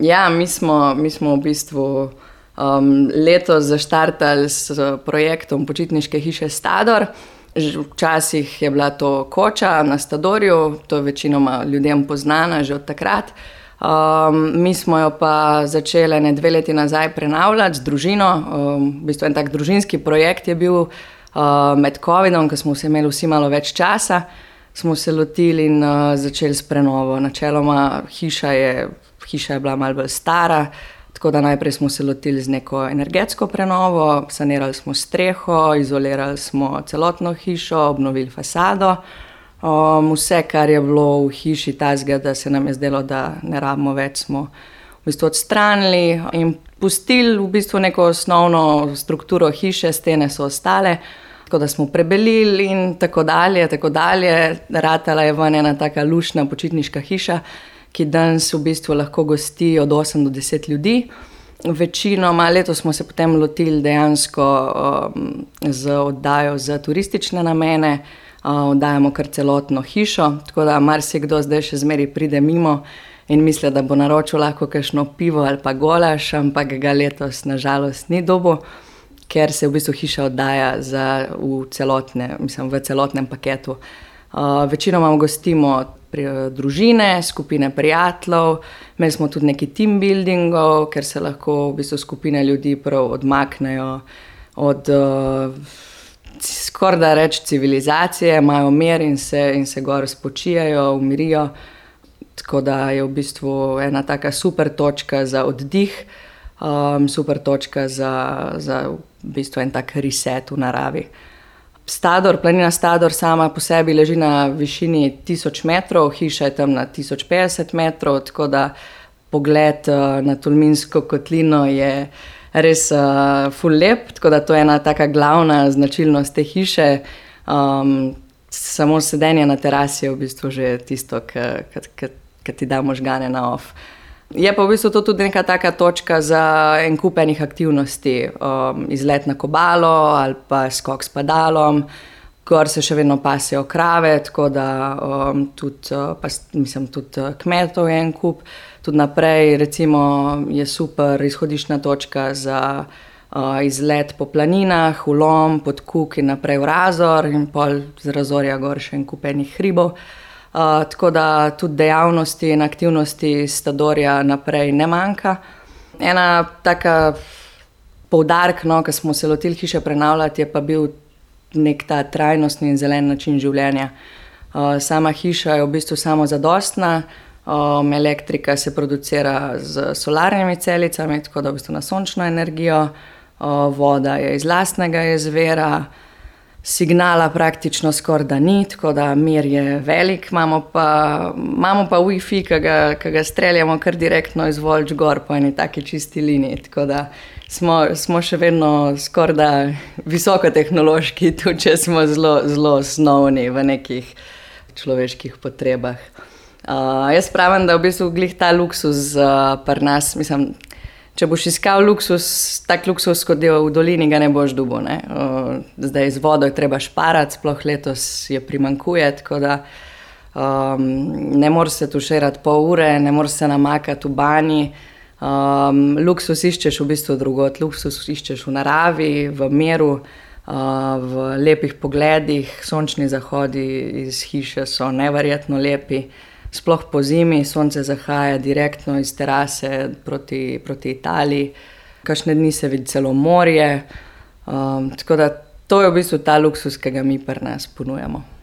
Ja, mi smo v bistvu letos zaštartali s projektom počitniške hiše Stador. Včasih je bila to koča na Stadorju, to je večinoma ljudem poznana že od takrat. Mi smo jo pa začeli 2 leti nazaj prenavljati z družino. V bistvu en tak družinski projekt je bil med covidom, ko smo se imeli vsi malo več časa, smo se lotili in začeli s prenovo. Načeloma hiša je bila malo bolj stara, tako da najprej smo se lotili z neko energetsko prenovo, sanirali smo streho, izolirali smo celotno hišo, obnovili fasado. Vse, kar je bilo v hiši takega, da se nam je zdelo, da ne rabimo več, smo v bistvu odstranili in pustili v bistvu neko osnovno strukturo hiše, stene so ostale, tako da smo prebelili in tako dalje. Ratala je ven ena taka luštna počitniška hiša, ki danes v bistvu lahko gosti od 8 do 10 ljudi. Večinoma letos smo se potem lotili dejansko z oddajo za turistične namene. Oddajamo kar celotno hišo, tako da marsikdo zdaj še zmeraj pride mimo in misli, da bo naročil lahko kakšno pivo ali pa golaž, ampak ga letos na žalost ni dobil, ker se v bistvu hiša oddaja v celotnem paketu. Večinoma gostimo družine, skupine prijateljev, imeli smo tudi nekaj team buildingov, ker se lahko v bistvu skupine ljudi prav odmaknejo od skoraj da reči civilizacije, imajo mir in se gor spočijajo, umirijo. Tako da je v bistvu ena taka super točka za oddih, super točka za v bistvu en tak reset v naravi. Planina Stador sama po sebi leži na višini 1000 metrov, hiša je tam na 1050 metrov, tako da pogled na Tolminsko kotlino je res ful lep, tako da to je ena taka glavna značilnost te hiše. Samo sedenje na terasi je v bistvu že tisto, ki ti da možgane na off. Je pa v bistvu to tudi neka taka točka za en kup enih aktivnosti, izlet na Kobalo ali pa skok s padalom. Gor se še vedno pasejo krave, tako da tudi kmetov je en kup. Tudi naprej recimo je super izhodiščna točka za izlet po planinah, v Lom, pod Kuk in naprej v Razor in pol z Razorja gor še en kup enih hribov. Tako da tudi dejavnosti in aktivnosti Stadorja naprej ne manjka. Ena taka poudarek, ko smo se lotili hiše prenavljati, je pa bil nek ta trajnostni in zelen način življenja. Sama hiša je v bistvu samozadostna, elektrika se producira z solarnimi celicami, tako da v bistvu na sončno energijo, voda je iz lastnega izvira, signala praktično skoraj da ni, tako da mir je velik, imamo pa Wi-Fi, ki ga streljamo kar direktno iz Volč gor po eni taki čisti liniji, tako da smo še vedno skoraj da visokotehnološki, tudi če smo zelo osnovni v nekih človeških potrebah. Jaz pravim, da v bistvu glih ta luksuz pri nas, mislim, če boš iskal tak luksuz, kot je v dolini, ga ne boš dobil, ne. Zdaj z vodo je treba šparati, sploh letos je primanjkuje, tako da ne moreš se tuširati pol ure, ne moreš se namakati v banji. Luksuz iščeš v bistvu drugod, luksuz iščeš v naravi, v miru, v lepih pogledih. Sončni zahodi iz hiše so neverjetno lepi. Sploh po zimi sonce zahaja direktno iz terase proti Italiji. Kakšne dni se vidi celo morje. Tako da to je v bistvu ta luksuz, ki ga mi pri nas ponujamo.